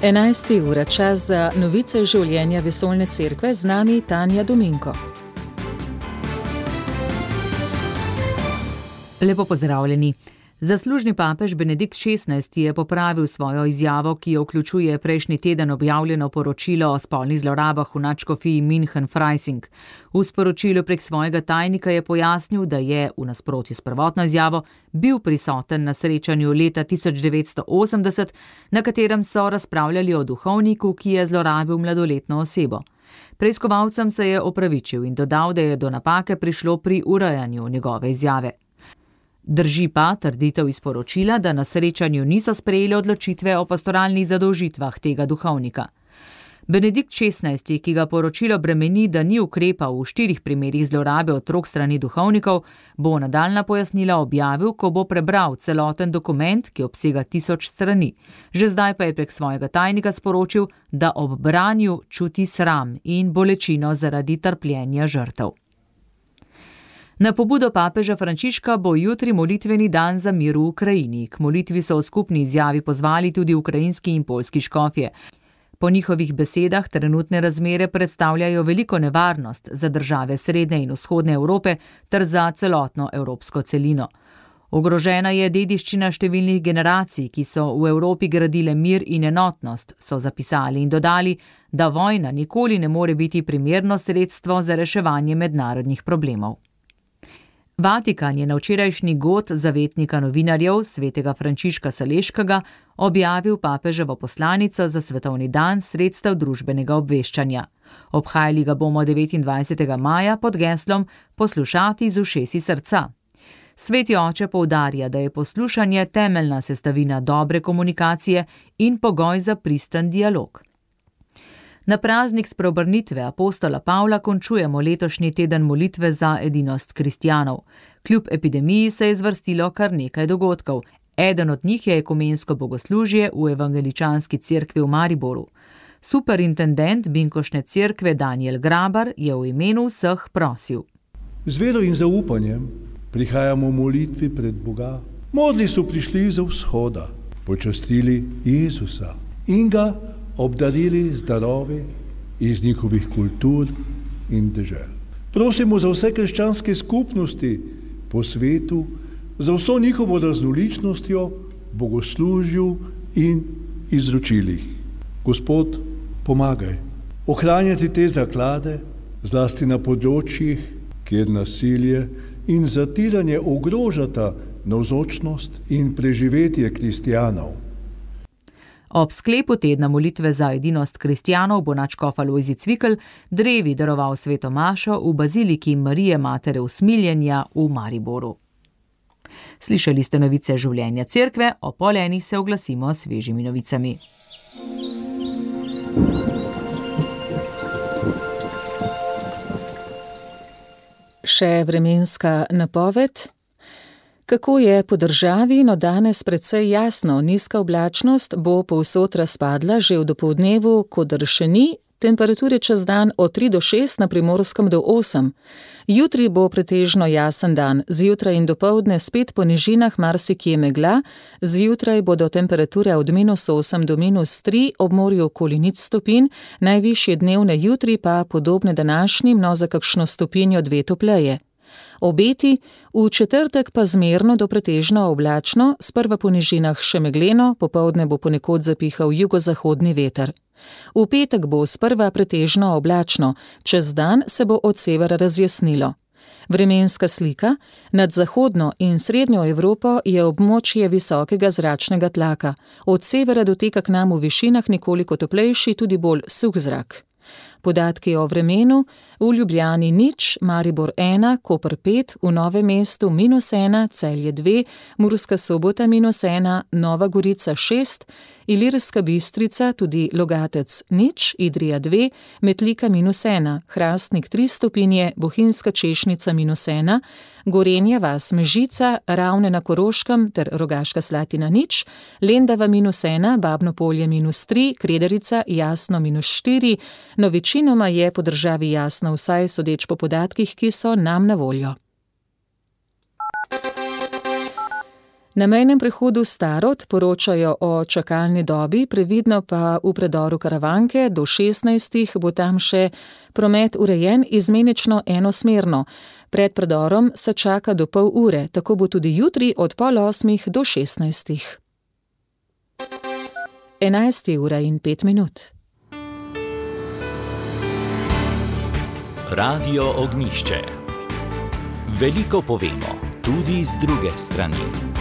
11. ura, čas za novice življenja Vesoljne cerkve, z nami Tanja Dominko. Lepo pozdravljeni. Zaslužni papež Benedikt XVI je popravil svojo izjavo, ki jo vključuje prejšnji teden objavljeno poročilo o spolnih zlorabah v nadškofiji München-Freising. V sporočilu prek svojega tajnika je pojasnil, da je, v nasprotju s prvotno izjavo, bil prisoten na srečanju leta 1980, na katerem so razpravljali o duhovniku, ki je zlorabil mladoletno osebo. Preiskovalcem se je opravičil in dodal, da je do napake prišlo pri urejanju njegove izjave. Drži pa trditev iz poročila, da na srečanju niso sprejeli odločitve o pastoralnih zadolžitvah tega duhovnika. Benedikt XVI, ki ga poročilo bremeni, da ni ukrepal v 4 primerih zlorabe otrok strani duhovnikov, bo nadaljnja pojasnila objavil, ko bo prebral celoten dokument, ki obsega 1000 strani. Že zdaj pa je prek svojega tajnika sporočil, da ob branju čuti sram in bolečino zaradi trpljenja žrtev. Na pobudo papeža Frančiška bo jutri molitveni dan za mir v Ukrajini. K molitvi so v skupni izjavi pozvali tudi ukrajinski in poljski škofje. Po njihovih besedah trenutne razmere predstavljajo veliko nevarnost za države srednje in vzhodne Evrope ter za celotno evropsko celino. Ogrožena je dediščina številnih generacij, ki so v Evropi gradile mir in enotnost, so zapisali in dodali, da vojna nikoli ne more biti primerno sredstvo za reševanje mednarodnih problemov. Vatikan je na včerajšnji god zavetnika novinarjev, svetega Frančiška Saleškega, objavil papeževo poslanico za svetovni dan sredstev družbenega obveščanja. Obhajali ga bomo 29. maja pod geslom Poslušati z ušesi srca. Sveti oče poudarja, da je poslušanje temeljna sestavina dobre komunikacije in pogoj za pristen dialog. Na praznik spreobrnitve apostola Pavla končujemo letošnji teden molitve za edinost kristjanov. Kljub epidemiji se je zvrstilo kar nekaj dogodkov. Eden od njih je ekumensko bogoslužje v evangeličanski cerkvi v Mariboru. Superintendent Binkošne cerkve Daniel Grabar je v imenu vseh prosil. Z vero in zaupanjem prihajamo v molitvi pred Boga. Modli so prišli za vzhoda, počastili Jezusa in ga obdarili z darovi iz njihovih kultur in dežel. Prosimo za vse krščanske skupnosti po svetu, za vso njihovo raznoličnostjo, bogoslužju in izročilih. Gospod, pomagaj ohranjati te zaklade, zlasti na področjih, kjer nasilje in zatiranje ogrožata navzočnost in preživetje kristjanov. Ob sklepu tedna molitve za edinost kristjanov bo nadškof Alojzij Cvikl drevi daroval sveto mašo v baziliki Marije Matere Usmiljenja v Mariboru. Slišali ste novice življenja cerkve, o 12:30 se oglasimo s svežimi novicami. Še vremenska napoved. Kako je po državi, no danes precej jasno, nizka oblačnost bo povsod razpadla že v dopoldnevu, kodr še ni, temperature čez dan od 3 do 6, na Primorskem do 8. Jutri bo pretežno jasen dan, zjutraj in dopoldne spet po nižinah marsikje megla, zjutraj bodo temperature od -8 do -3, ob morju okoli 0 stopinj, najvišje dnevne jutri pa podobne današnjim, no za kakšno stopinjo 2 topleje. Obeti, v četrtek pa zmerno do pretežno oblačno, sprva po nižinah še megleno, popoldne bo ponekod zapihal jugozahodni veter. V petek bo sprva pretežno oblačno, čez dan se bo od severa razjasnilo. Vremenska slika, nad zahodno in srednjo Evropo je območje visokega zračnega tlaka, od severa doteka k nam v višinah nekoliko toplejši, tudi bolj suh zrak. Podatki o vremenu: v Ljubljani 0, Maribor 1, Koper 5, v Novem mestu -1, Celje 2, Murska Sobota -1, Nova Gorica 6, Ilirska Bistrica, tudi Logatec 0, Idrija 2, Metlika -1, Hrastnik 3 stopinje, Bohinjska Češnica -1, Gorenja vas Mežica, Ravne na Koroškem ter Rogaška Slatina 0, Lendava -1, Babno Polje -3, Krederica jasno -4, no večinoma je po državi jasno, vsaj sodeč po podatkih, ki so nam na voljo. Na mejnem prehodu Starod poročajo o čakalni dobi, previdno pa v predoru Karavanke do 16. bo tam še promet urejen izmenično enosmerno. Pred predorom se čaka do pol ure, tako bo tudi jutri od 7:30 do 16. 11:05. Radio Ognjišče. Veliko povemo, tudi z druge strani.